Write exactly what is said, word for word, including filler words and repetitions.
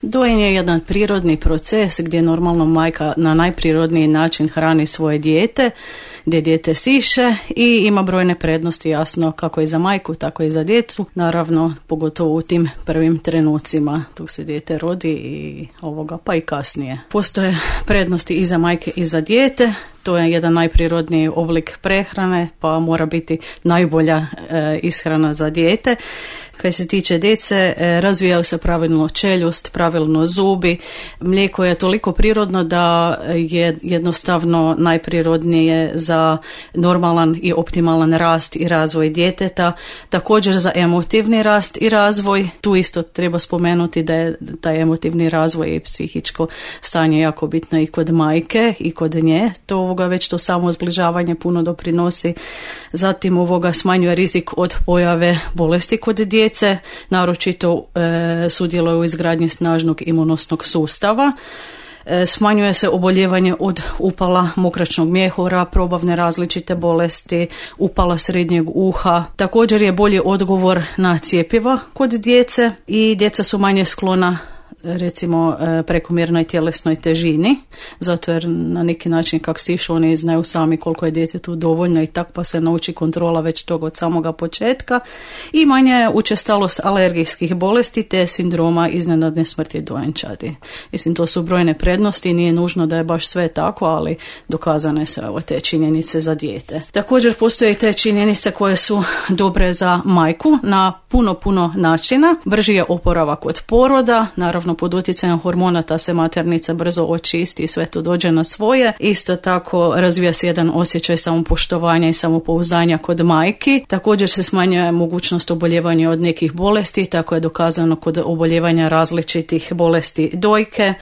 Dojenje je jedan prirodni proces gdje normalno majka na najprirodniji način hrani svoje dijete, gdje dijete siše i ima brojne prednosti, jasno, kako i za majku, tako i za djecu. Naravno, pogotovo u tim prvim trenucima dok se dijete rodi i ovoga, pa i kasnije. Postoje prednosti i za majke i za dijete. To je jedan najprirodniji oblik prehrane, pa mora biti najbolja e, ishrana za dijete. Kad se tiče djece, e, razvijaju se pravilno čeljust, pravilno zubi. Mlijeko je toliko prirodno da je jednostavno najprirodnije za normalan i optimalan rast i razvoj djeteta. Također za emotivni rast i razvoj. Tu isto treba spomenuti da je taj emotivni razvoj i psihičko stanje jako bitno i kod majke i kod nje. To ovoga već to samo zbližavanje puno doprinosi. Zatim ovoga smanjuje rizik od pojave bolesti kod djece, naročito e, sudjeluje u izgradnji snažnog imunosnog sustava. E, smanjuje se oboljevanje od upala mokračnog mjehura, probavne različite bolesti, upala srednjeg uha. Također je bolji odgovor na cjepiva kod djece i djeca su manje sklona recimo prekomjernoj tjelesnoj težini, zato jer na neki način kak sišu oni znaju sami koliko je djetetu dovoljno i tak, pa se nauči kontrola već toga od samoga početka i manja je učestalost alergijskih bolesti te sindroma iznenadne smrti dojenčadi. Mislim, to su brojne prednosti, nije nužno da je baš sve tako, ali dokazane su evo te činjenice za dijete. Također postoje i te činjenice koje su dobre za majku na puno, puno načina. Brži je oporavak od poroda, naravno pod utjecajem hormona ta se maternica brzo očisti i sve to dođe na svoje. Isto tako razvija se jedan osjećaj samopoštovanja i samopouzdanja kod majki. Također se smanjuje mogućnost oboljevanja od nekih bolesti, tako je dokazano kod oboljevanja različitih bolesti dojke.